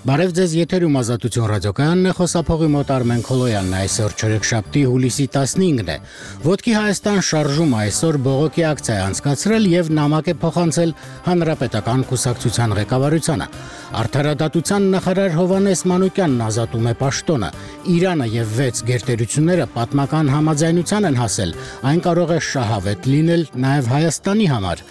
Բարև ձեզ, եթերում Ազատություն ռադիոկայանն է, խոսափողի մոտ Արմեն Քոլոյանն է, այսօր չորեքշաբթի հուլիսի 15-ն է։ Ոտքի Հայաստան շարժումը այսօր բողոքի ակցիա է անցկացրել եւ նամակ է փոխանցել Հանրապետական կուսակցության ղեկավարությանը։ Արդարադատության նախարար Հովհաննես Մանուկյանն ազատում է պաշտոնը։ Իրանը եւ 6 գերտերությունները պատմական համաձայնության են հասել, այն կարող է շահավետ լինել նաեւ Հայաստանի համար։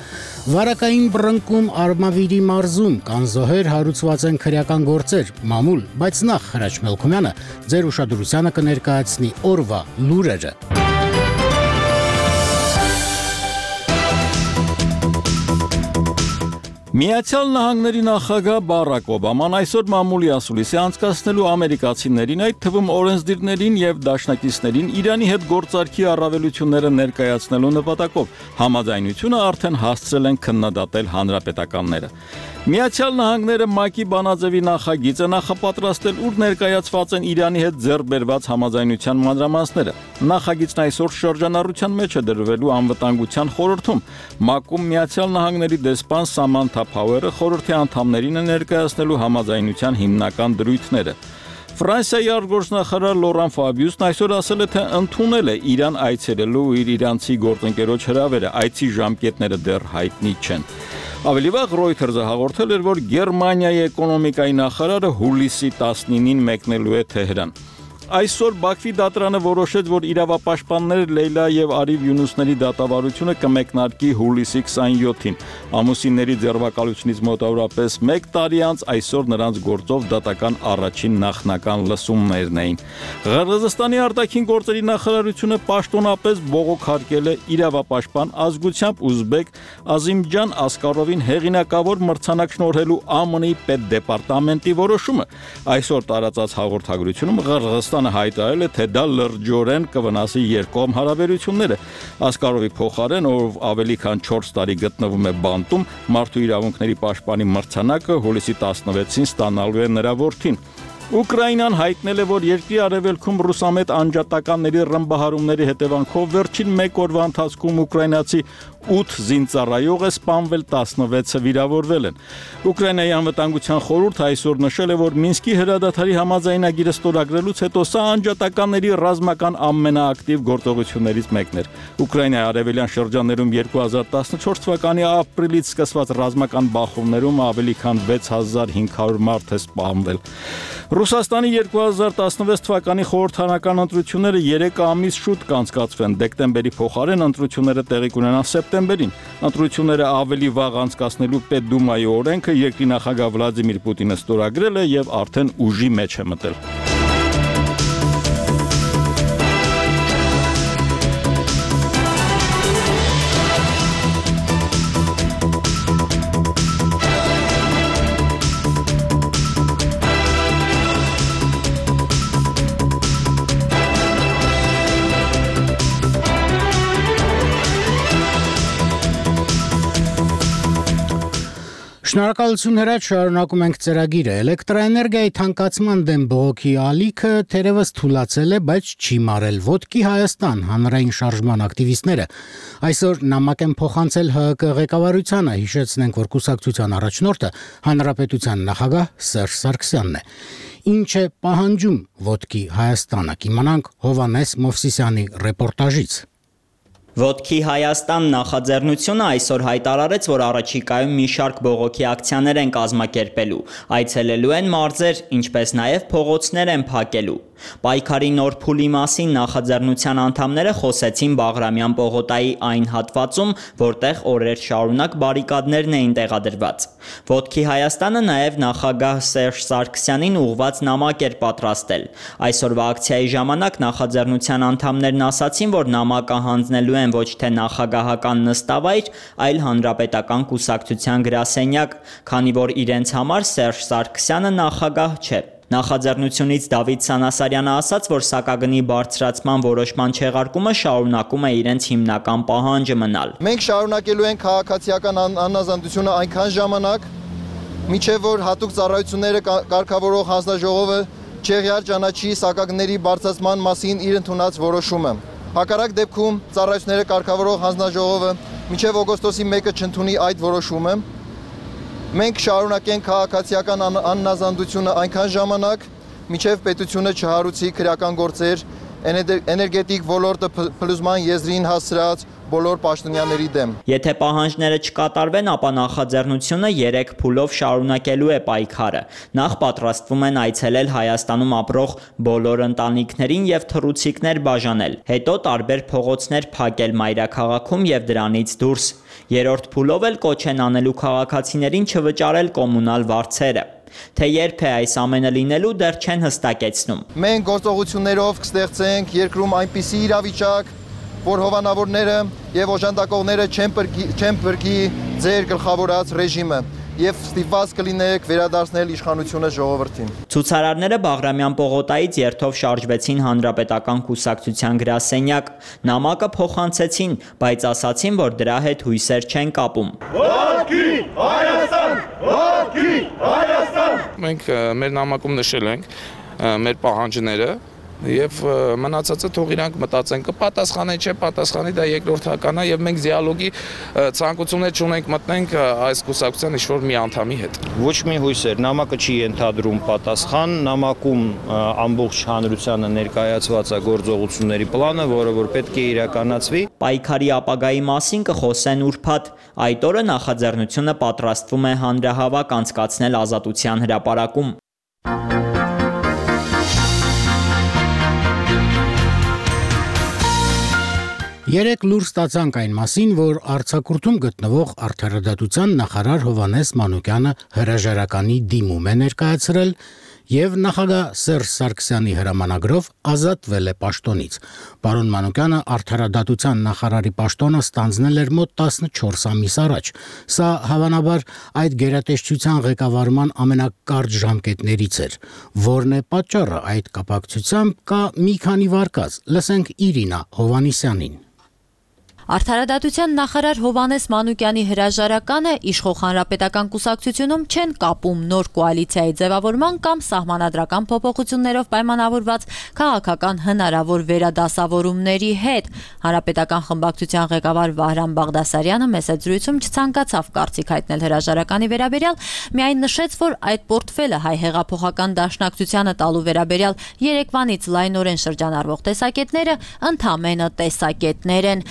Վարակային բռնկում Արմավիրի մարզում կան զոհեր, հարուցված են քրեական գործեր, մամուլ, բայց նախ Հրաչ Մելքումյանը ձեր ուշադրությանը կներկայացնի օրվա լուրերը։ Միացյալ Նահանգների նախագահ Բարակ Օբաման այսօր մամուլի ասուլիսի անցկացնելու ամերիկացիներին, այդ թվում օրենսդիրներին եւ դաշնակիցներին Իրանի հետ գործարքի առավելությունները ներկայացնելու նպատակով համաձայնությունը արդեն հասցրել են քննադատել հանրապետականները։ Միացյալ Նահանգները ՄԱԿ-ի բանաձևի նախագիծը նախապատրաստել, ուր ներկայացված են Իրանի հետ ձեռք բերված համաձայնության մանրամասները։ Նախագիծն այսօր շրջանառության մեջ է դրվելու անվտանգության խորհրդում։ ՄԱԿ-ում Միացյալ Նահանգների դեսպան Սամանթա Փաուերը խորհրդի անդամներին է ներկայացնելու համաձայնության հիմնական դրույթները։ Ֆրանսիայի արտգործնախարար Լորան Ֆաբիուսն այսօր ասել է, թե ընդունել է Իրան այցելելու իր իրանցի գործընկերոջ հրավերը, այցի ժամկետները դեռ հայտնի չեն։ Ավելի վաղ Reuters-ը հաղորդել էր, որ Գերմանիայի էկոնոմիկայի նախարարը հուլիսի 19-ին մեկնելու է Թեհրան։ Այսօր Բաքվի դատարանը որոշեց, որ իրավապաշտպաններ Լեյլա եւ Արիվ Յունուսների դատավարությունը կմեկնարկի հուլիսի 27-ին։ Ամուսինների ձերբակալությունից մոտավորապես 1 տարի անց այսօր նրանց գործով դատական առաջին նախնական լսումներն էին։ Ղրղըզստանի արտաքին գործերի նախարարությունը պաշտոնապես բողոքարկել է իրավապաշտպան ազգությամբ ուզբեկ Ազիմջան Ասկարովին հեղինակավոր մրցանակ շնորհելու ԱՄՆ-ի պետդեպարտամենտի որոշումը։ Այսօր տարածած հաղորդագրությունում Ղրղըզստանը հայտարարել է, թե դա լրջորեն կվնասի երկկողմ հարաբերությունները։ Ասկարովի փոխարեն, ով ավելի քան 4 տարի գտնվում է բանտում, մարդու իրավունքների պաշտպանի մրցանակը հուլիսի 16-ին ստանալու է նրա որդին։ Ուկրաինան հայտնել է, որ երկրի արևելքում ռուսամետ անջատականների ռմբահարումների հետևանքով վերջին 1 օրվա ընթացքում ուկրաինացի 8 զինծառայող է սպանվել, 16-ը վիրավորվել են։ Ուկրաինայի անվտանգության խորհուրդը այսօր նշել է, որ Մինսկի հրադադարի համաձայնագիրը ստորագրելուց հետո սա անջատականների ռազմական ամենաակտիվ գործողություններից մեկն էր։ Ուկրաինայի արևելյան շրջաններում 2014 թվականի ապրիլից սկսված ռազմական բախումներում ավելի քան 6500 մարդ է սպանվել։ Ռուսաստանի 2016 թվականի խորհրդարանական ընտրությունները 3 ամիս շուտ կանցկացվեն, դեկտեմբերի փոխարեն ընտրությունները տեղի կունենան սեպտեմբերին։ Ընտրությունները ավելի վաղ անցկացնելու Պետդումայի օրենքը երկրի նախագահ Վլադիմիր Պուտինը ստորագրել է եւ արդեն ուժի մեջ է մտել։ Շնորհակալություն Հրաչ, շարունակում ենք ծրագիրը։ Էլեկտրաէներգիայի թանկացման դեմ բողոքի ալիքը թերևս թուլացել է, բայց չի մարել։ Ոտքի Հայաստան հանրային շարժման ակտիվիստները այսօր նամակ են փոխանցել ՀՀԿ ղեկավարությանը, հիշեցնենք, որ կուսակցության առաջնորդը հանրապետության նախագահ Սերժ Սարգսյանն է։ Ինչ է պահանջում Ոտքի Հայաստանը, կիմանանք Հովհաննես Մովսիսյանի ռեպորտաժից։ Ոտքի Հայաստան նախաձեռնությունը այսօր հայտարարեց, որ առաջիկայում մի շարք բողոքի ակցիաներ են կազմակերպելու, այցելելու են մարզեր, ինչպես նաև փողոցներ են փակելու։ Պայքարի նոր փուլի մասին նախաձեռնության անդամները խոսեցին Բաղրամյան պողոտայի այն հատվածում, որտեղ օրեր շարունակ բարիկադներն էին տեղադրված։ Ոտքի Հայաստանը նաև նախագահ Սերժ Սարգսյանին ուղղված նամակ էր պատրաստել։ Այսօրվա ակցիայի ժամանակ նախաձեռնության անդամներն ասացին, որ նամակը հանձնելու են ոչ թե նախագահական նստավայր, այլ հանրապետական կուսակցության գրասենյակ, քանի որ իրենց համար Սերժ Սարգսյանը նախագահ չէ։ Նախաձեռնությունից Դավիթ Սանասարյանը ասաց, որ սակագնի բարձրացման որոշման չեղարկումը շարունակում է իրենց հիմնական պահանջը մնալ։ Մենք շարունակելու ենք քաղաքացիական անազատությունը այնքան ժամանակ, մինչև որ հատուկ ծառայությունները կարգավորող հանձնաժողովը չեղյալ ճանաչի սակագների բարձրացման մասին իր ընդունած որոշումը։ Հակառակ դեպքում ծառայությունները կարգավորող հանձնաժողովը մինչև օգոստոսի 1-ը չընդունի այդ որոշումը, Մենք շարունակենք քաղաքացիական աննազանդությունը այնքան ժամանակ, մինչև պետությունը չհարուցի քրեական գործեր էներգետիկ ոլորտը փլուզման եզրին հասցրած բոլոր պաշտոնյաների դեմ։ Եթե պահանջները չկատարվեն, ապա նախաձեռնությունը 3 փուլով շարունակելու է պայքարը։ Նախ պատրաստվում են այցելել Հայաստանում ապրող բոլոր ընտանիքներին եւ թռուցիկներ բաժանել։ Հետո տարբեր փողոցներ փակել մայրաքաղաքում եւ դրանից դուրս։ Երրորդ փուլով էլ կոչ են անելու քաղաքացիներին չվճարել կոմունալ վարձերը։ Թե երբ է այս ամենը լինելու, դեռ չեն հստակեցնում։ Մենք գործողություններով կստեղծենք երկրում այնպիսի իրավիճակ, որ հովանավորները եւ օժանդակողները չեն բրգի ձեր գլխավորած ռեժիմը եւ ստիպված կլինեք վերադարձնել իշխանությունը ժողովրդին։ Ցուցարարները Բաղրամյան պողոտայից երթով շարժվեցին Հանրապետական կուսակցության գրասենյակ։ Նամակը փոխանցեցին, բայց ասացին, որ դրա հետ հույսեր չեն կապում։ Ողքի Հայաստան! Ողքի Հայաստան! Մենք մեր նամակում նշել ենք մեր պահանջները եւ մնացածը թող իրանք մտածեն կպատասխանի չէ պատասխանի դա երկրորդական է եւ մենք դիալոգի ցանկություններ չունենք մտնենք այս կուսակցության ինչ-որ մի անդամի հետ։ Ոչ մի հույսեր, նամակը չի ենթադրում պատասխան, նամակում ամբողջ հանրությանը ներկայացված է գործողությունների պլանը, որը որ պետք է իրականացվի։ Պայքարի ապագայի մասին կխոսեն ուրբաթ։ Այդ օրը նախաձեռնությունը պատրաստվում է հանրահավաք անցկացնել Ազատության հրապարակում։ Երեք լուր ստացանք այն մասին, որ արձակուրդում գտնվող Արդարադատության նախարար Հովհաննես Մանուկյանը հրաժարականի դիմում է ներկայացրել եւ նախագահ Սերժ Սարգսյանի հրամանագրով ազատվել է պաշտոնից։ Պարոն Մանուկյանը Արդարադատության նախարարի պաշտոնը ստանձնել էր մոտ 14 ամիս առաջ։ Սա հավանաբար այդ գերատեսչության ղեկավարման ամենակարճ ժամկետներից էր։ Որն է պատճառը այդ կապակցությամբ կա մի քանի վարկած։ Լսենք Իրինա Հովհաննիսյանին։ Արդարադատության նախարար Հովհաննես Մանուկյանի հրաժարականը իշխող հանրապետական կուսակցությունում չեն կապում նոր կոալիցիայի ձևավորման կամ սահմանադրական փոփոխություններով պայմանավորված քաղաքական հնարավոր վերադասավորումների հետ։ Հանրապետական խմբակցության ղեկավար Վահրամ Բաղդասարյանը մեծ զրույցում չցանկացավ կարծիք հայտնել հրաժարականի վերաբերյալ, միայն նշեց, որ այդ պորտֆելը հայ հեղափոխական դաշնակցությանը տալու վերաբերյալ երեկվանից լայնորեն շրջանառվող տեսակետները ընդամենը տեսակետներ են։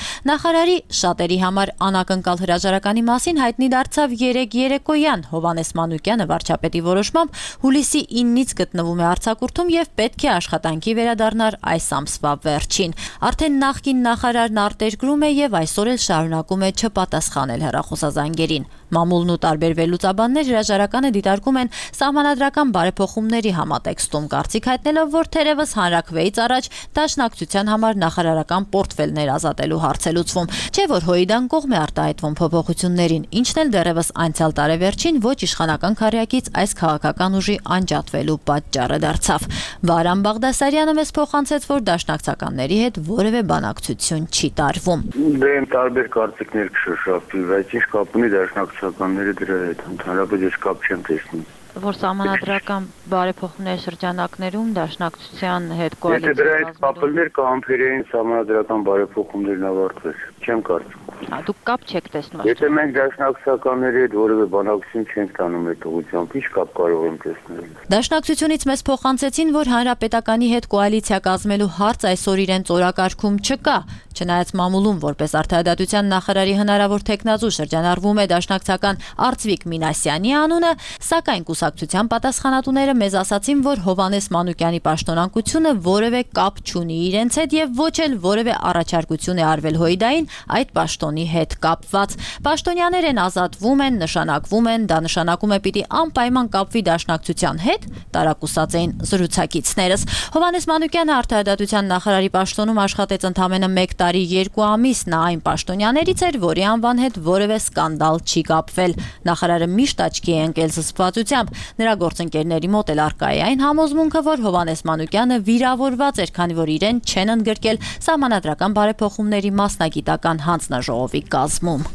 Նախարարի շատերի համար անակնկալ հրաժարականի մասին հայտնի դարձավ երեկոյան Հովհաննես Մանուկյանը վարչապետի որոշմամբ հուլիսի 9-ից գտնվում է արձակուրդում եւ պետք է աշխատանքի վերադառնար այս ամսվա վերջին։ Արդեն նախկին նախարարն արտերկրում է եւ այսօր էլ շարունակում է չպատասխանել հեռախոսազանգերին։ Մամուլն ու տարբեր վերլուծաբաններ հրաժարականը դիտարկում են սահմանադրական բարեփոխումների համատեքստում, կարծիք հայտնելով, որ թերևս հանրաքվեից առաջ դաշնակցության համար նախարարական պորտֆելներ ազատելու հարց է լուծվում, չէ որ Հոիդան կողմ է արտահայտվում փոփոխություններին, ինչն էլ դեռևս անցյալ տարեվերջին ոչ իշխանական քարյակից այս քաղաքական ուժի անջատվելու պատճառը դարձավ։ Վահրամ Բաղդասարյանը մեզ փոխանցեց, որ դաշնակցականների հետ որևէ բանակցություն չի տարվում։ Դե տարբեր կարծիքներ կշոշափվի, բայց ինչ կապ ունի դաշնակցականները դրա հետ, ընդհանրապես ես կապ չեմ տեսնում։ Որ սահմանադրական բարեփոխումների շրջանակներում դաշնակցության հետ կոալիցիա։ Եթե դրա հետ կապելներ կհամբերեին սահմանադրական բարեփոխումներն ավարտվեր, չեմ կարծում։ Դուք կապ չեք տեսնում։ Եթե մենք դաշնակցականների հետ որևէ բանակցություն չենք տանում այդ ուղղությամբ, ինչ կապ կարող եմ տեսնել։ Դաշնակցությունից մեզ փոխանցեցին, որ հանրապետականի հետ կոալիցիա կազմելու հարց այսօր իրենց օրակարգում չկա, չնայած մամուլում որպես Արդարադատության նախարարի հնարավոր թեկնածու շրջանառվում է դաշնակցական Արծվիկ Մինասյանի անունը, սակայն կուսակցության պատասխանատուները մեզ ասացին, որ Հովհաննես Մանուկյանի պաշտոնակությունը որևէ կապ չունի իրենց հետ եւ ոչ էլ որևէ առաջարկություն է արվել Հոիդային այդ պաշտոնի հետ կապված։ Պաշտոնյաներ են ազատվում են, նշանակվում են, դա նշանակում է պիտի անպայման կապվի դաշնակցության հետ, տարակուսած էին զրուցակիցներս։ Հովհաննես Մանուկյանը Արդարադատության նախարարի պաշտոնում աշխատեց ընդամենը 1 տարի 2 ամիս, նա այն պաշտոնյաներից էր, որի անվան հետ որևէ սկանդալ չի կապվել։ Նախարարը միշտ աչքի է ընկել զսպվածությամբ։ Նրա գործընկերների մոտ էլ առկա է այն համոզմունքը, որ Հովհաննես Մանուկյանը վիրավորված էր, քանի որ իրեն չեն ընդգրկել սահմանադրական բարեփոխումների մասնագիտական հանձնաժողովի կազմում։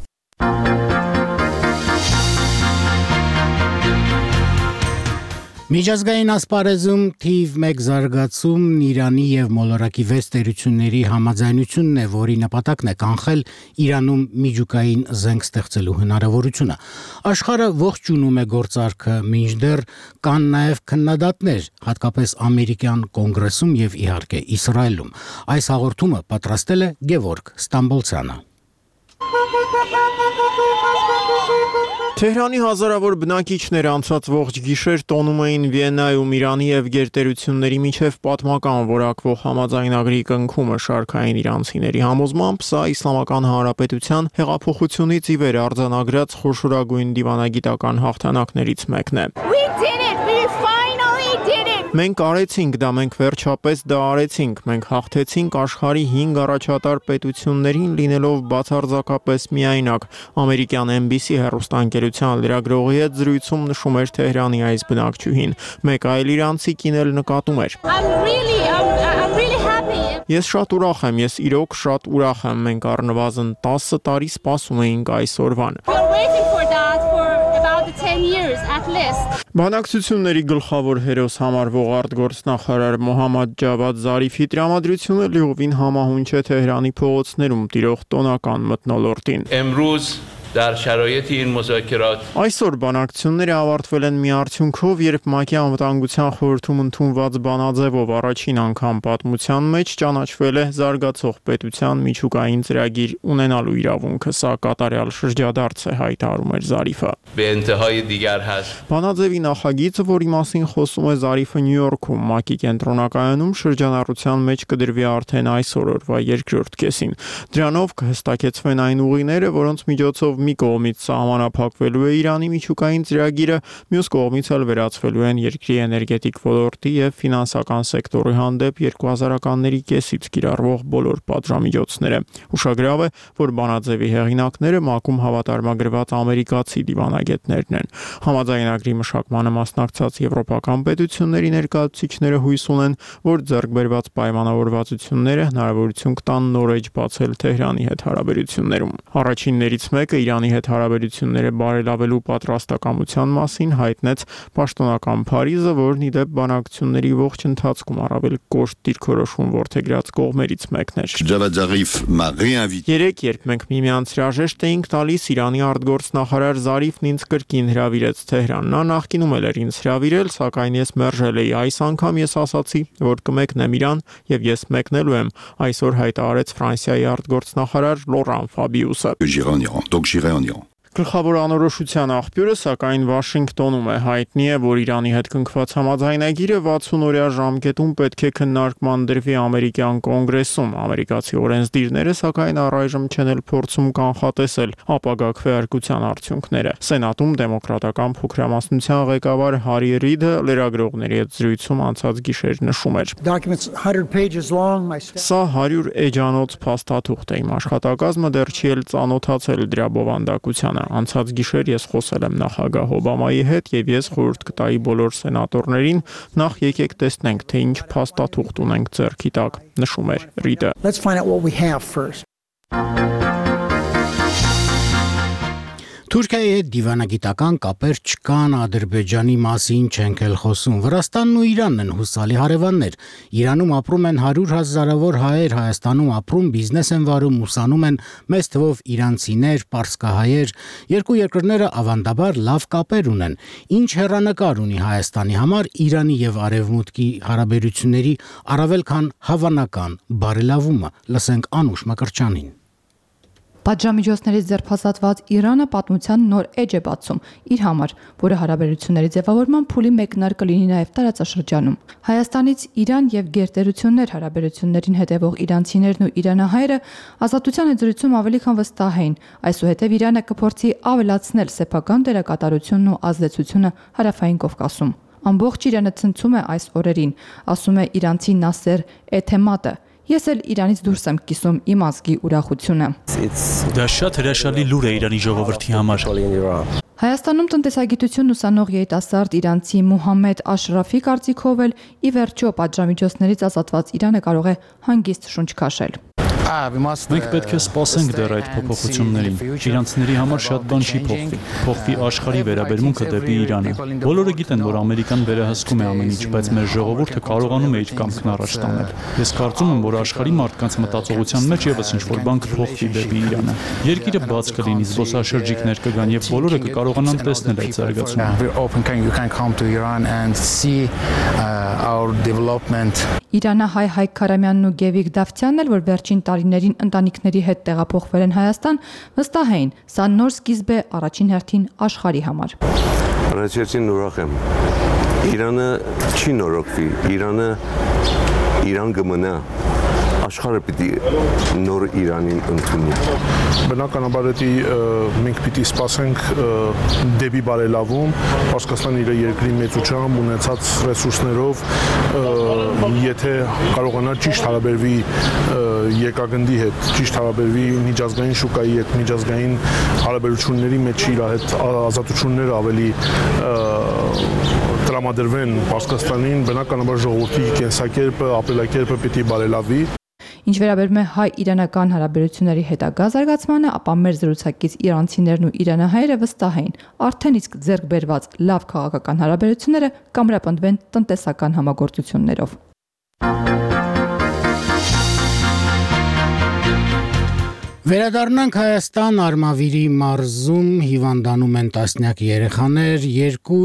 Միջազգային ասպարեզում թիվ 1 զարգացումն Իրանի եւ մոլորակի 6 տերությունների համաձայնությունն է, որի նպատակն է կանխել Իրանում միջուկային զենք ստեղծելու հնարավորությունը։ Աշխարհը ողջունում է գործարքը, մինչդեռ կան նաեւ քննադատներ, հատկապես ամերիկյան կոնգրեսում եւ իհարկե Իսրայելում։ Այս հաղորդումը պատրաստել է Գևորգ Ստամբոլցյանը։ Թեհրանի հազարավոր բնակիչներ անցած ողջ գիշեր տոնում էին Վիեննայում Իրանի եւ գերտերությունների միջև պատմական որակվող համաձայնագրի կնքումը շարքային իրանցիների համոզմամբ սա Իսլամական Հանրապետության հեղափոխությունից ի վեր արձանագրած խոշորագույն դիվանագիտական հաղթանակներից մեկն է։ Մենք արեցինք դա, մենք վերջապես դա արեցինք, մենք հաղթեցինք աշխարհի 5 առաջատար պետություններին լինելով բացարձակապես միայնակ, ամերիկյան NBC հեռուստաընկերության լրագրողի հետ զրույցում նշում էր Թեհրանի այս բնակչուհին, մեկ այլ իրանցի կին էլ նկատում էր. Ես շատ ուրախ եմ, ես իրոք շատ ուրախ եմ, մենք առնվազն 10 տարի սպասում էինք այս օրվան։ Բանակցությունների գլխավոր հերոս համարվող արտգործնախարար Մոհամմադ Ջավադ Զարիֆի տրամադրությունը լիովին համահունչ է Թեհրանի փողոցներում տիրող տոնական մթնոլորտին։ Այսօր բանակցությունները ավարտվել են մի արդյունքով, երբ ՄԱԿ-ի անվտանգության խորհրդում ընդունված բանաձևով առաջին անգամ պատմության մեջ ճանաչվել է զարգացող պետության միջուկային ծրագիր ունենալու իրավունքը, սա կատարյալ շրջադարձ է, հայտարարում էր Զարիֆը։ Բանաձևի նախագիծը, որի մասին խոսում է Զարիֆը Նյու Յորքում, ՄԱԿ-ի կենտրոնակայանում շրջանառության մեջ կդրվի արդեն այսօր օրվա երկրորդ կեսին։ Դրանով կհստակեցվեն այն ուղիները, որոնց միջոցով մի կողմից սահմանափակվելու է Իրանի միջուկային ծրագիրը, մյուս կողմից էլ վերացվելու են երկրի էներգետիկ ոլորտի եւ ֆինանսական սեկտորի հանդեպ 2000-ականների կեսից կիրառվող բոլոր պատժամիջոցները։ Ուշագրավ է, որ բանաձևի հեղինակները ՄԱԿ-ում հավատարմագրված ամերիկացի դիվանագետներն են։ Համաձայնագրի մշակմանը մասնակցած եվրոպական պետությունների ներկայացուցիչները հույս ունեն, որ ձեռքբերված պայմանավորվածությունները հնարավորություն կտան նոր էջ բացել Թեհրանի հետ հարաբերություններում։ Առաջիններից մեկը Իրանի հետ հարաբերությունները բարելավելու պատրաստակամության մասին հայտնեց պաշտոնական Փարիզը, որն ի դեպ բանակցությունների ողջ ընթացքում առավել կոշտ դիրքորոշում որդեգրած կողմերից մեկն էր։ Երեկ, երբ մենք միմյանց հրաժեշտ էինք տալիս, Իրանի արտգործնախարար Զարիֆն ինձ կրկին հրավիրեց Թեհրան։ Նա նախկինում էլ էր ինձ հրավիրել, սակայն ես մերժել էի։ Այս անգամ ես ասացի, որ կմեկնեմ Իրան եւ ես մեկնելու եմ, այսօր հայտարարեց Ֆրանսիայի արտգործնախարար Լորան Ֆաբիուսը։ Գլխավոր անորոշության աղբյուրը, սակայն Վաշինգտոնում է, հայտնի է, որ Իրանի հետ կնքված համաձայնագիրը 60-օրյա ժամկետում պետք է քննարկման դրվի ամերիկյան կոնգրեսում։ Ամերիկացի օրենսդիրները, սակայն առայժմ չեն էլ փորձում կանխատեսել ապագա քվեարկության արդյունքները։ Սենատում դեմոկրատական փոքրամասնության ղեկավար Հարի Ռիդը լրագրողների հետ զրույցում անցած գիշեր նշում էր. Սա 100 էջանոց փաստաթուղթ է, իմ աշխատակազմը դեռ չի էլ ծանոթացել դրա բովանդակությանը։ Անցած գիշեր ես խոսել եմ նախագահ Օբամայի հետ եւ ես խորհուրդ կտայի բոլոր սենատորներին նախ եկեք տեսնենք, թե ինչ փաստաթուղթ ունենք ձեռքի տակ, նշում էր Ռիդը։ Թուրքիայի հետ դիվանագիտական կապեր չկան, Ադրբեջանի մասին չենք էլ խոսում։ Վրաստանն ու Իրանն են հուսալի հարևաններ։ Իրանում ապրում են 100,000-ավոր հայեր, Հայաստանում ապրում, բիզնես են վարում, ուսանում են մեծ թվով իրանցիներ, պարսկահայեր։ Երկու երկրները ավանդաբար լավ կապեր ունեն։ Ինչ հեռանկար ունի Հայաստանի համար Իրանի եւ Արևմուտքի հարաբերությունների առավել քան հավանական բարելավումը։ Լսենք Անուշ Մկրտչյանին։ Պատժամիջոցներից ձերբազատված Իրանը պատմության նոր էջ է բացում իր համար, որը հարաբերությունների ձևավորման փուլի մեկնարկը կլինի նաև տարածաշրջանում։ Հայաստանից Իրան եւ գերտերություններ հարաբերություններին հետևող իրանցիներն ու իրանահայերը ազատության զրույցում ավելի քան վստահ էին, այսուհետև Իրանը կփորձի ավելացնել սեփական դերակատարությունն ու ազդեցությունը հարավային Կովկասում։ Ամբողջ Իրանը ցնցում է այս օրերին, ասում է իրանցի Նասեր Էթեմատը։ Ես էլ Իրանից դուրս եմ կիսում իմ ազգի ուրախությունը։ Դա շատ հրաշալի լուր է Իրանի ժողովրդի համար։ Հայաստանում տնտեսագիտություն ուսանող երիտասարդ իրանցի Մուհամմեդ Աշրաֆի կարծիքով էլ ի վերջո պատժամիջոցներից ազատված Իրանը կարող է հանգիստ շունչ քաշել։ Մենք պետք է սպասենք դեռ այդ փոփոխություններին։ Իրանցիների համար շատ բան չի փոխվի։ Փոխվի աշխարհի վերաբերմունքը դեպի Իրանը։ Բոլորը գիտեն, որ Ամերիկան վերահսկում է ամեն ինչ, բայց մեր ժողովուրդը կարողանում է իր կամքն առաջ տանել։ Ես կարծում եմ, որ աշխարհի մարդկանց մտածողության մեջ եւս ինչ-որ բան կփոխվի դեպի Իրանը։ Երկիրը բաց կլինի, զբոսաշրջիկներ կգան եւ բոլորը կկարողանան տեսնել այդ զարգացումը։ Իրանահայ Հայկ Քարամյանն ու Գևիկ Դավթյանն էլ, որ վերջին տարիներին ընտանիքների հետ տեղափոխվել են Հայաստան, վստահ էին, սա նոր սկիզբ է առաջին հերթին աշխարհի համար։ Առաջին ուրախ եմ։ Իրանը չի նորոգվի, Իրան կմնա։ Աշխարհը պիտի նոր Իրանին ընդունի։ Բնականաբար մենք պիտի սպասենք դեպի բարելավում, Պարսկաստանը իր երկրի մեծությամբ ունեցած ռեսուրսներով, եթե կարողանա ճիշտ հարաբերվի եկագնդի հետ, ճիշտ հարաբերվի միջազգային շուկայի հետ, միջազգային հարաբերությունների մեջ իր հետ ազատությունները ավելի տրամադրվեն Պարսկաստանին, բնականաբար ժողովրդի կենսակերպը, ապրելակերպը պիտի բարելավի։ Ինչ վերաբերում է հայ-իրանական հարաբերությունների հետագա զարգացմանը, ապա մեր զրուցակից իրանցիներն ու իրանահայերը վստահ էին, արդեն իսկ ձեռք բերված լավ քաղաքական հարաբերությունները կամրապնդվեն տնտեսական համագործություններով։ Վերադառնանք Հայաստան, Արմավիրի մարզում հիվանդանում են տասնյակ երեխաներ, 2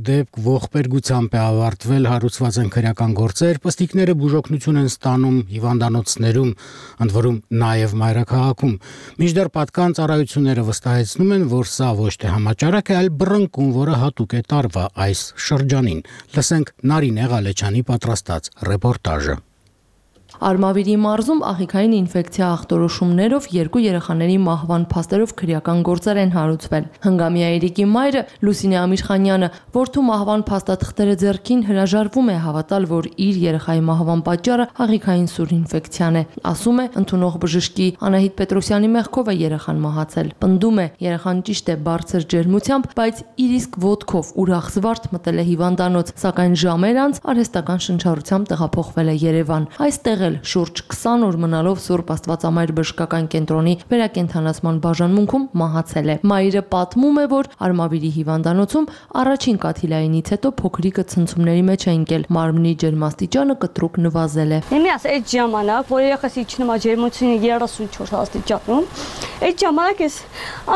դեպք ողբերգությամբ է ավարտվել, հարուցված են քրեական գործեր, պստիկները բուժօգնություն են ստանում հիվանդանոցներում, ընդ որում նաև մայրաքաղաքում։ Մինչդեռ պատկան ծառայությունները վստահեցնում են, որ սա ոչ թե համաճարակ է, այլ բռնկում, որը հատուկ է տարվա այս շրջանին։ Լսենք Նարինե Ղալեչյանի պատրաստած ռեպորտաժը։ Արմավիրի մարզում աղիքային ինֆեկցիա ախտորոշումներով 2 երեխաների մահվան փաստերով քրեական գործեր են հարուցվել։ Հնգամյա Երիկի մայրը Լուսինե Ամիրխանյանը, որդու մահվան փաստաթղթերը ձեռքին հրաժարվում է հավատալ, որ իր երեխայի մահվան պատճառը աղիքային սուր ինֆեկցիան է։ Ասում է, ընդունող բժշկի Անահիտ Պետրոսյանի մեղքով է երեխան մահացել։ Պնդում է, երեխան ճիշտ է բարձր ջերմությամբ, բայց իր իսկ ոտքով ուրախ զվարթ մտել է հիվանդանոց, սակայն ժամեր անց արհեստական շնչառությամբ տեղափոխվել է Երևան։ Այստեղ շուրջ 20 օր մնալով Սուրբ Աստվածամայր բժշկական կենտրոնի վերակենդանացման բաժանմունքում մահացել է։ Մայրը պատմում է, որ Արմավիրի հիվանդանոցում առաջին կաթիլայինից հետո փոքրիկը ցնցումների մեջ է ընկել, մարմնի ջերմաստիճանը կտրուկ նվազել է։ Իմիաս այդ ժամանակ, որ երեխաս իջնում է ջերմությունը 34 աստիճանում, այդ ժամանակ ես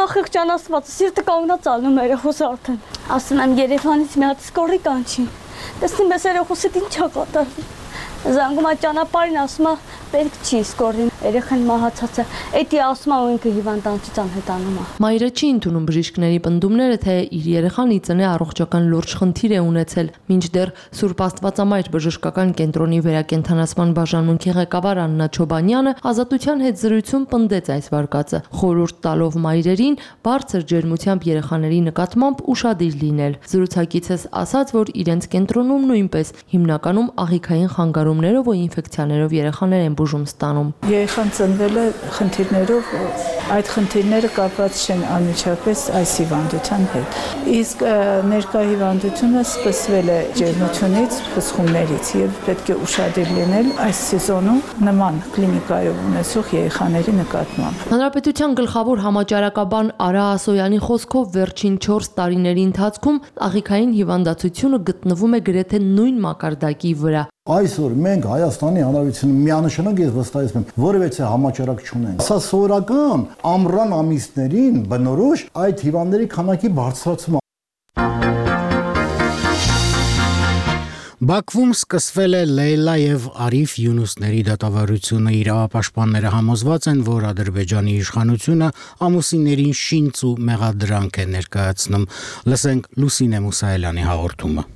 անխղճան Աստված սիրտը կանգնած ալնում երեխոս արդեն։ Ասում եմ Երևանից մի հատ սկորի կանչի։ Տեսնում ես երեխոսդ ինչ է կատարվում։ Զանգում է ճանապարհին, ասում է պետք չի սկորին, երեխան մահացած է, էդի ասում է ինքը հիվանդանոցից անհետանում է։ Մայրը չի ընդունում բժիշկների պնդումները, թե իր երեխան ի ծնե առողջական լուրջ խնդիր է ունեցել, մինչդեռ Սուրբ Աստվածամայր բժշկական կենտրոնի վերակենդանացման բաժանմունքի ղեկավար Աննա Չոբանյանը Ազատության հետ զրույցում պնդեց այս վարկածը, խորհուրդ տալով մայրերին բարձր ջերմությամբ երեխաների նկատմամբ ուշադիր լինել։ Զրուցակիցս ասաց, որ իրենց կենտրոնում նույնպես հիմնականում աղիքային խանգարումներով ու ինֆեկցիաներով երեխաներ են բուժում ստանում։ Երեխան ծնվել է խնդիրներով, այդ խնդիրները կապված չեն անմիջապես այս հիվանդության հետ։ Իսկ ներկա հիվանդությունը սկսվել է ջերմությունից, բսխումներից եւ պետք է ուշադիր լինել այս սեզոնում նման կլինիկայով ունեցող երեխաների նկատմամբ։ Հանրապետության գլխավոր համաճարակաբան Արա Ասոյանի խոսքով վերջին 4 տարիների ընթացքում աղիքային հիվանդացությունը գտնվում է գրեթե նույն մակարդակի վրա։ Այսօր մենք Հայաստանի Հանրապետությունում միանշանակ ես վստահեցնում եմ, որևէ համաճարակ չունենք։ Սա սովորական ամռան ամիսներին բնորոշ այդ հիվանդների քանակի բարձրացում։ Բաքվում սկսվել է Լեյլա եւ Արիֆ Յունուսների դատավարությունը։ Իրավապաշտպանները համոզված են, որ Ադրբեջանի իշխանությունը ամուսիններին շինծ ու մեղադրանք է ներկայացնում։ Լսենք Լուսինե Մուսայելյանի հաղորդումը։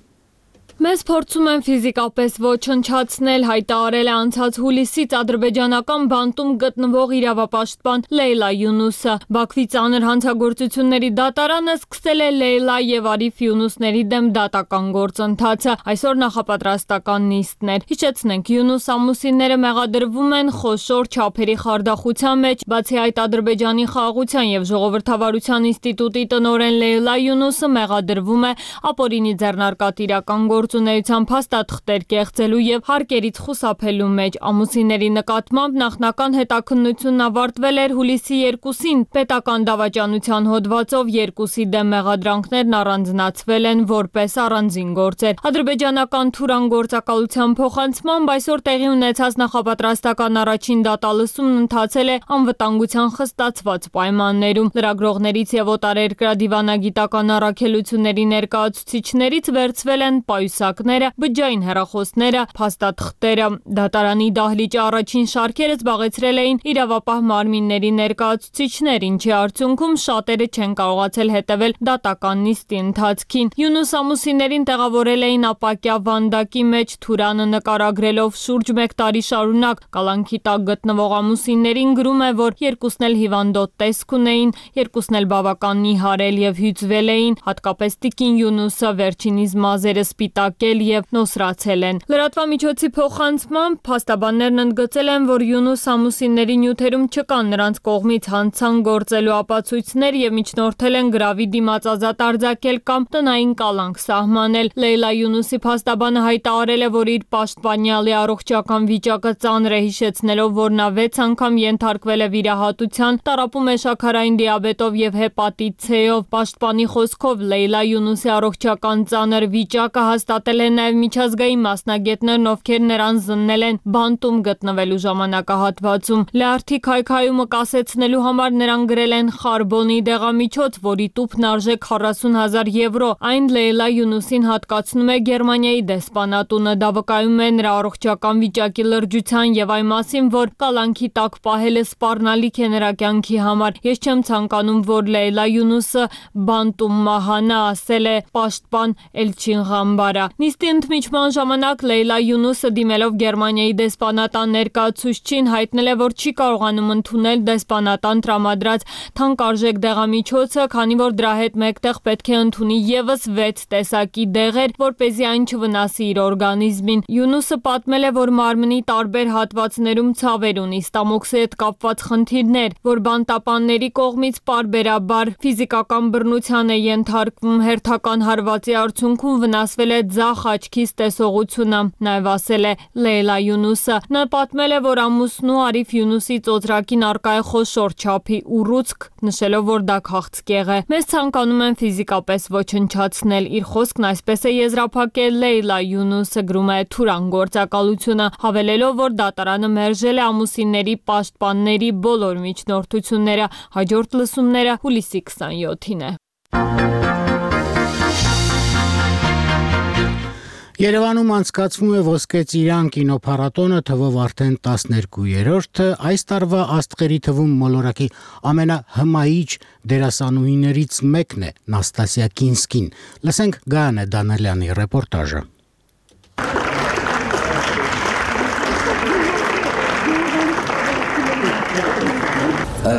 Մեզ փորձում են ֆիզիկապես ոչնչացնել, հայտարարել է անցած հուլիսից ադրբեջանական բանտում գտնվող իրավապաշտպան Լեյլա Յունուսը։ Բաքվի ծանր հանցագործությունների դատարանը սկսել է Լեյլա եւ Արիֆ Յունուսների դեմ դատական գործընթացը։ Այսօր նախապատրաստական նիստն էր։ Հիշեցնենք, Յունուս ամուսինները մեղադրվում են խոշոր չափերի խարդախության մեջ, բացի այդ Ադրբեջանի խաղաղության եւ ժողովրդավարության ինստիտուտի տնօրեն Լեյլա Յունուսը մեղադրվում է ապօրինի ձեռնարկատիրական գործունեության փաստաթղթեր կեղծելու եւ հարկերից խուսափելու մեջ։ Ամուսինների նկատմամբ նախնական հետաքննությունն ավարտվել էր հուլիսի 2-ին։ Պետական դավաճանության հոդվածով 2-ի դեմ մեղադրանքներն առանձնացվել են որպես առանձին գործեր։ Ադրբեջանական Թուրան գործակալության փոխանցմամբ այսօր տեղի ունեցած նախապատրաստական առաջին դատալսումն ընթացել է անվտանգության խստացված պայմաններում։ Լրագրողներից եւ օտարերկրյա դիվանագիտական առաքելությունների ներկայացուցիչներից վերցվել են պայուսակները, բջջային հեռախոսները, փաստաթղթերը։ Դատարանի դահլիճի առաջին շարքերը զբաղեցրել էին իրավապահ մարմինների ներկայացուցիչներ, ինչի արդյունքում շատերը չեն կարողացել հետևել դատական նիստի ընթացքին։ Յունուս ամուսիններին տեղավորել էին ապակյա վանդակի մեջ, Թուրանը նկարագրելով շուրջ 1 տարի շարունակ կալանքի տակ գտնվող ամուսիններին գրում է, որ երկուսն էլ հիվանդոտ տեսք ունեին, երկուսն էլ բավական նիհարել եւ հյուծվել էին, հատկապես տիկին Յունուսը վերջինիս մազերը սպիտակել եւ նոսրացել են։ Լրատվամիջոցի փոխանցմամբ փաստաբաններն ընդգծել են, որ Յունուս ամուսինների նյութերում չկան նրանց կողմից հանցան գործելու ապացույցներ եւ միջնորդել են գրավի դիմացազատ արձակել կամ տնային կալանք սահմանել։ Լեյլա Յունուսի փաստաբանը հայտարարել է, որ իր պաշտպանյալի առողջական վիճակը ծանր է, հիշեցնելով, որ նա 6 անգամ ենթարկվել է վիրահատության, տառապում է շաքարային դիաբետով եւ հեպատիտ C-ով։ Պաշտպանի խոսքով Լեյլա Յունուսի առողջական ծանր վիճակը հաստատել են նաեւ միջազգային մասնագետներն, ովքեր նրան զննել են բանտում գտնվելու ժամանակահատվածում։ Լյարդի քայքայումը կասեցնելու համար նրան գրել են խարբոնի դեղամիջոց, որի տուփն արժե 40,000 եվրո։ Այն Լեյլա Յունուսին հատկացնում է Գերմանիայի դեսպանատունը։ Դա վկայում է նրա առողջական վիճակի լրջության եւ այն մասին, որ կալանքի տակ պահելը սպառնալիք է նրա կյանքի համար։ Ես չեմ ցանկանում, որ Լեյլա Յունուսը բանտում մահանա, ասել է պաշտպան Էլչին Ղամբարա։ Նիստի ընդմիջման ժամանակ Լեյլա Յունուսը դիմելով Գերմանիայի դեսպանատան ներկայացուցչին հայտնել է, որ չի կարողանում ընդունել դեսպանատան տրամադրած թանկարժեք դեղամիջոցը, քանի որ դրա հետ մեկտեղ պետք է ընդունի եւս 6 տեսակի դեղեր, որպեսզի այն չվնասի իր օրգանիզմին։ Յունուսը պատմել է, որ մարմնի տարբեր հատվածներում ցավեր ունի, ստամոքսի հետ կապված խնդիրներ, որ բանտապանների կողմից պարբերաբար ֆիզիկական բռնության է ենթարկվում, հերթական հարվածի արդյունքում վնասվել է ձախ աչքից տեսողությունը, նաև ասել է Լեյլա Յունուսը։ Նա պատմել է, որ ամուսնու Արիֆ Յունուսի ծոծրակին առկա է խոշոր չափի ուռուցք, նշելով, որ դա քաղցկեղ է։ Մեզ ցանկանում են ֆիզիկապես ոչնչացնել։ Իր խոսքն այսպես է եզրափակել Լեյլա Յունուսը, գրում է Թուրան գործակալությունը, հավելելով, որ դատարանը մերժել է ամուսինների պաշտպանների բոլոր միջնորդությունները։ Հաջորդ լսումները հուլիսի 27-ին է։ Երևանում անցկացվում է Ոսկե ծիրան կինոփառատոնը, թվով արդեն 12-րդը, այս տարվա աստղերի թվում մոլորակի ամենահմայիչ դերասանուհիներից մեկն է Նաստասիա Կինսկին։ Լսենք Գայանե Դանելյանի ռեպորտաժը։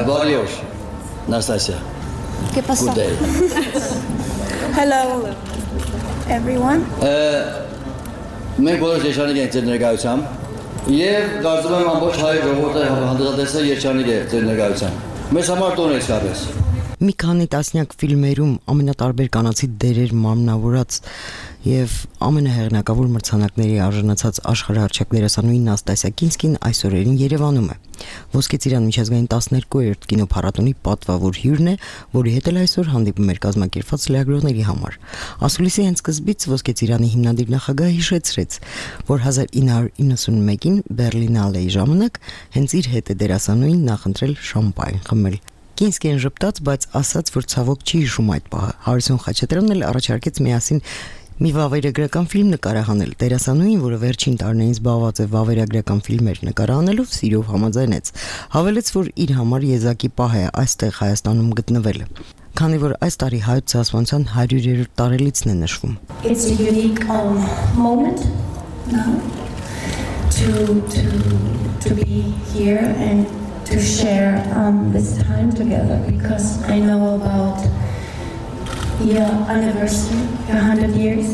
Բարի օր, Նաստասիա։ ¿Qué pasó? Good day. Hello, everyone. Մենք բոլոր երջանիկ ենք ձեր ներկայությամբ եւ կարծում եմ ամբողջ հայ ժողովուրդը հանդիսատեսը երջանիկ է ձեր ներկայությամբ։ Մեզ համար տոն է իսկապես։ Մի քանի տասնյակ ֆիլմերում ամենատարբեր կանացի դերեր մարմնավորած եւ ամենահեղինակավոր մրցանակների արժանացած աշխարհահռչակ դերասանուհի Նաստասիա Կինսկին այս օրերին Երևանում է։ Ոսկե ծիրան միջազգային 12-րդ կինոփառատոնի պատվավոր հյուրն է, որի հետ էլ այսօր հանդիպում էր կազմակերպված լրագրողների համար։ Ասուլիսի հենց սկզբից Ոսկե ծիրանի հիմնադիր նախագահը հիշեցրեց, որ 1991-ին Բերլինալեի ժամանակ հենց իր հետ է դերասանուհին նախընտրել շամպայն խմել։ Կինսկին ժպտաց, բայց ասաց, որ ցավոք չի հիշում այդ պահը։ Հարություն Խաչատրյանն էլ առաջարկեց միասին մի վավերագրական ֆիլմ նկարահանել։ Դերասանուհին, որը վերջին տարիներին զբաղված է վավերագրական ֆիլմեր նկարահանելով, սիրով համաձայնեց։ Հավելեց, որ իր համար եզակի պահ է այստեղ Հայաստանում գտնվելը, քանի որ այս տարի հայոց ցեղասպանության 100-րդ տարելիցն է նշվում։ It's a unique moment now to be here and to share this time together, because I know about your anniversary, your 100 years.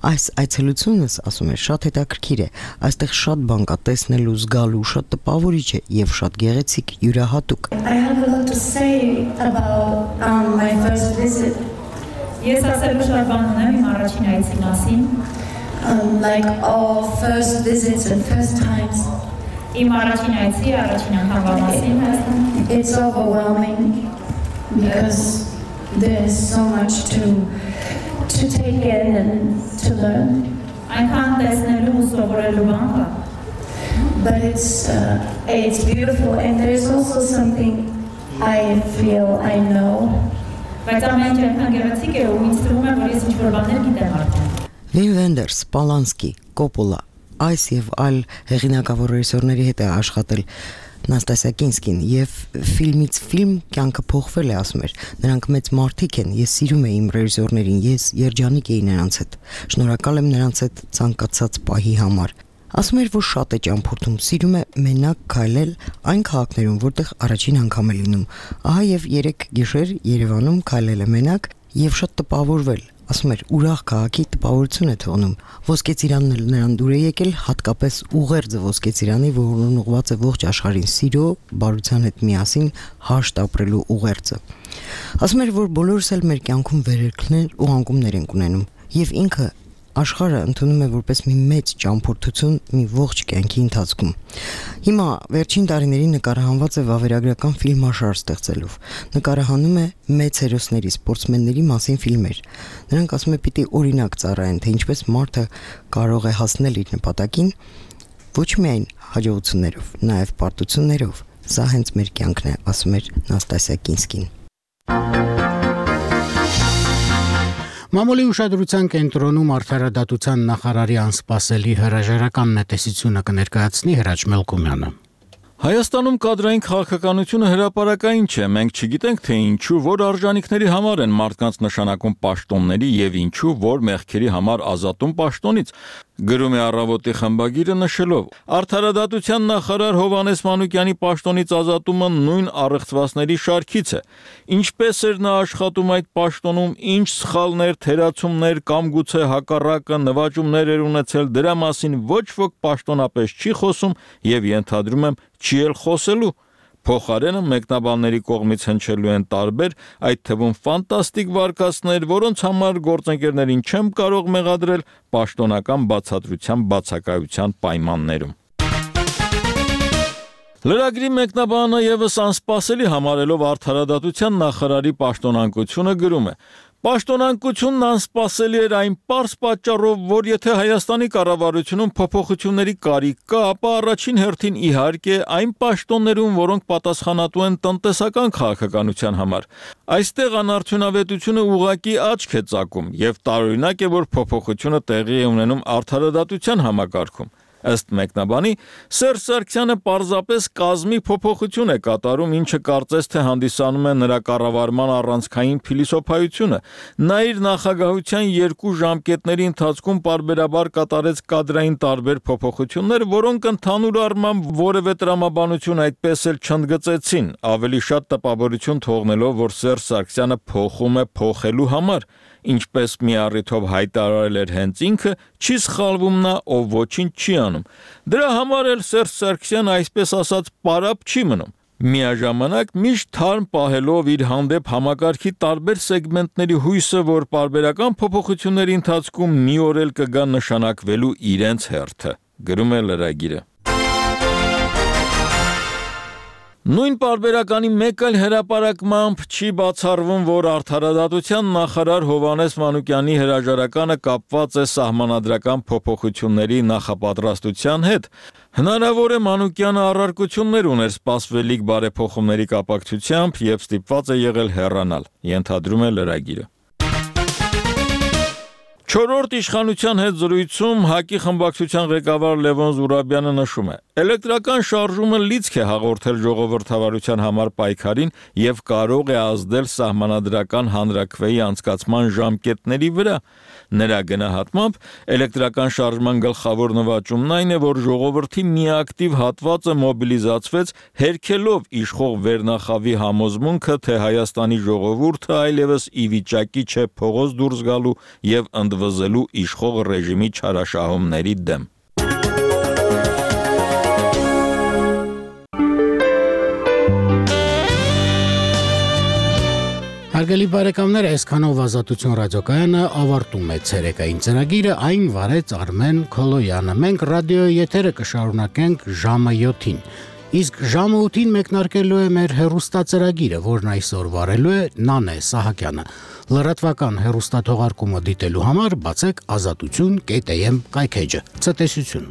Այս այցելությունս, ասում է, շատ հետաքրքիր է։ Այստեղ շատ բան կա տեսնելու, զգալու, շատ տպավորիչ է եւ շատ գեղեցիկ, յուրահատուկ։ I have a lot to say about my first visit Ես ասելու շարք բան ունեմ իմ առաջին այցի մասին։ Like all first visits and first times. Իմ առաջին այցի, առաջին անգամվա մասին Հայաստան։ It's overwhelming because there is so much to take in and to learn. Այնքան տեսնելու ու սովորելու բան կա։ But it's beautiful and there's also something I feel I know. Բայց ամեն ինչ այնքան գեղեցիկ է ու ինձ թվում է, որ ես ինչ-որ բաներ գիտեմ արդեն։ Վին Վենդերս, Պալանսկի, Կոպոլա, այս եւ այլ հեղինակավոր ռեժիսորների հետ է աշխատել Նաստասիա Կինսկին եւ ֆիլմից ֆիլմ կյանքը փոխվել է, ասում էր։ Նրանք մեծ մարդիկ են, ես սիրում եմ իմ ռեժիսորներին, ես երջանիկ էի նրանց հետ։ Շնորհակալ եմ նրանց հետ ցանկացած պահի համար։ Ասում էր, որ շատ է ճամփորդում, սիրում է մենակ քայլել այն քաղաքներում, որտեղ առաջին անգամ է լինում։ Ահա եւ 3 գիշեր Երևանում քայլել է մենակ եւ շատ տպավորվել։ Ասում էր, ուրախ քաղաքի տպավորություն է թողնում։ Ոսկե ծիրանն էլ նրան դուր է եկել, հատկապես ուղերձը Ոսկե ծիրանի, որն ուղղված է ողջ աշխարհին սիրո, բարության հետ միասին հաշտ ապրելու ուղերձը։ Ասում էր, որ բոլորս էլ մեր կյանքում վերելքներ ու անկումներ ենք ունենում, եւ ինքը աշխարհը ընդունում է որպես մի մեծ ճամփորդություն մի ողջ կյանքի ընթացքում։ Հիմա վերջին տարիներին նկարահանված է վավերագրական ֆիլմաշար ստեղծելով։ Նկարահանում է մեծ հերոսների, սպորտսմենների մասին ֆիլմեր։ Նրանք ասում է պիտի օրինակ ծառայեն, թե ինչպես մարդը կարող է հասնել իր նպատակին ոչ միայն հաջողություններով, նաև պարտություններով։ Սա հենց մեր կյանքն է, ասում էր Նաստասիա Կինսկին։ Մամուլի ուշադրության կենտրոնում արդարադատության նախարարի անսպասելի հրաժարական նետեսությունը կներկայացնի Հրաչ Մելքումյանը։ Հայաստանում կադրային քաղաքականությունը հրապարակային չէ, մենք չգիտենք թե ինչու, որ արժանինքների համար են մարդկանց նշանակում պաշտոնների եւ ինչու, որ մեղքերի համար ազատում պաշտոնից, գրում է Առավոտի խմբագիրը նշելով. Արդարադատության նախարար Հովհաննես Մանուկյանի պաշտոնից ազատումը նույն առեղծվածների շարքից է։ Ինչպես էր նա աշխատում այդ պաշտոնում, ինչ սխալներ, թերացումներ կամ գուցե հակառակը նվաճումներ էր ունեցել, դրա մասին ոչ ոք պաշտոնապես չի խոսում եւ ենթադրում եմ չի էլ խոսելու։ Փոխարենը մեկնաբանների կողմից հնչելու են տարբեր, այդ թվում ֆանտաստիկ վարկածներ, որոնց համար գործընկերներին չեմ կարող մեղադրել պաշտոնական բացատրության բացակայության պայմաններում։ Լրագրի մեկնաբանը եւս անսպասելի համարելով արդարադատության նախարարի պաշտոնանկությունը գրում է. Պաշտոնանկությունն անսպասելի էր այն պարզ պատճառով, որ եթե Հայաստանի կառավարությունում փոփոխությունների կարիք կա, ապա առաջին հերթին իհարկե այն պաշտոններում, որոնք պատասխանատու են տնտեսական քաղաքականության համար։ Այստեղ անարդյունավետությունը ուղղակի աչք է ծակում եւ տարօրինակ է, որ փոփոխությունը տեղի է ունենում արդարադատության համակարգում։ Ըստ մեկնաբանի, Սերժ Սարգսյանը պարզապես կազմի փոփոխություն է կատարում, ինչը կարծես թե հանդիսանում է նրա կառավարման առանցքային փիլիսոփայությունը։ Նա իր նախագահության 2 ժամկետների ընթացքում պարբերաբար կատարեց կադրային տարբեր փոփոխություններ, որոնք ընդհանուր առմամբ որևէ տրամաբանություն այդպես էլ չընդգծեցին, ավելի շատ տպավորություն թողնելով, որ Սերժ Սարգսյանը փոխում է փոխելու համար, ինչպես մի առիթով հայտարարել էր հենց ինքը, չի սխալվում նա, ով ոչինչ չի անում։ Դրա համար էլ Սերժ Սարգսյանը այսպես ասած պարապ չի մնում։ Միաժամանակ միշտ թարմ պահելով իր հանդեպ համակարգի տարբեր սեգմենտների հույսը, որ պարբերական փոփոխությունների ընթացքում մի օր էլ կգա նշանակվելու իրենց հերթը, գրում է լրագիրը։ Նույն պարբերականի մեկ այլ հրապարակմամբ չի բացառվում, որ արդարադատության նախարար Հովհաննես Մանուկյանի հրաժարականը կապված է սահմանադրական փոփոխությունների նախապատրաստության հետ։ Հնարավոր է Մանուկյանը առարկություններ ուներ սպասվելիք բարեփոխումների կապակցությամբ եւ ստիպված է եղել հեռանալ, ենթադրում է լրագիրը։ Չորրորդ իշխանության հետ զրույցում ՀԱԿ-ի խմբակցության ղեկավար Լևոն Զուրաբյանը նշում է. Էլեկտրական շարժումը լիցք է հաղորդել ժողովրդավարության համար պայքարին եւ կարող է ազդել սահմանադրական հանրաքվեի անցկացման ժամկետների վրա։ Նրա գնահատմամբ էլեկտրական շարժման գլխավոր նվաճումն այն է, որ ժողովրդի միակտիվ հատվածը մոբիլիզացվեց, հերքելով իշխող վերնախավի համոզմունքը, թե Հայաստանի ժողովուրդը այլևս ի վիճակի չէ փողոց դուրս գալու եւ ընդվզելու իշխող ռեժիմի չարաշահումների դեմ։ Հարգելի բարեկամներ, այսքանով Ազատություն ռադիոկայանը ավարտում է ցերեկային ծրագիրը, այն վարեց Արմեն Քոլոյանը։ Մենք ռադիոյի եթերը կշարունակենք ժամը 7-ին։ Իսկ ժամը 8-ին մեկնարկելու է մեր հեռուստածրագիրը, որն այսօր վարելու է Նանե Սահակյանը։ Լրատվական հեռուստաթողարկումը դիտելու համար բացեք azatutun.am կայքեջը։ Ցտեսություն։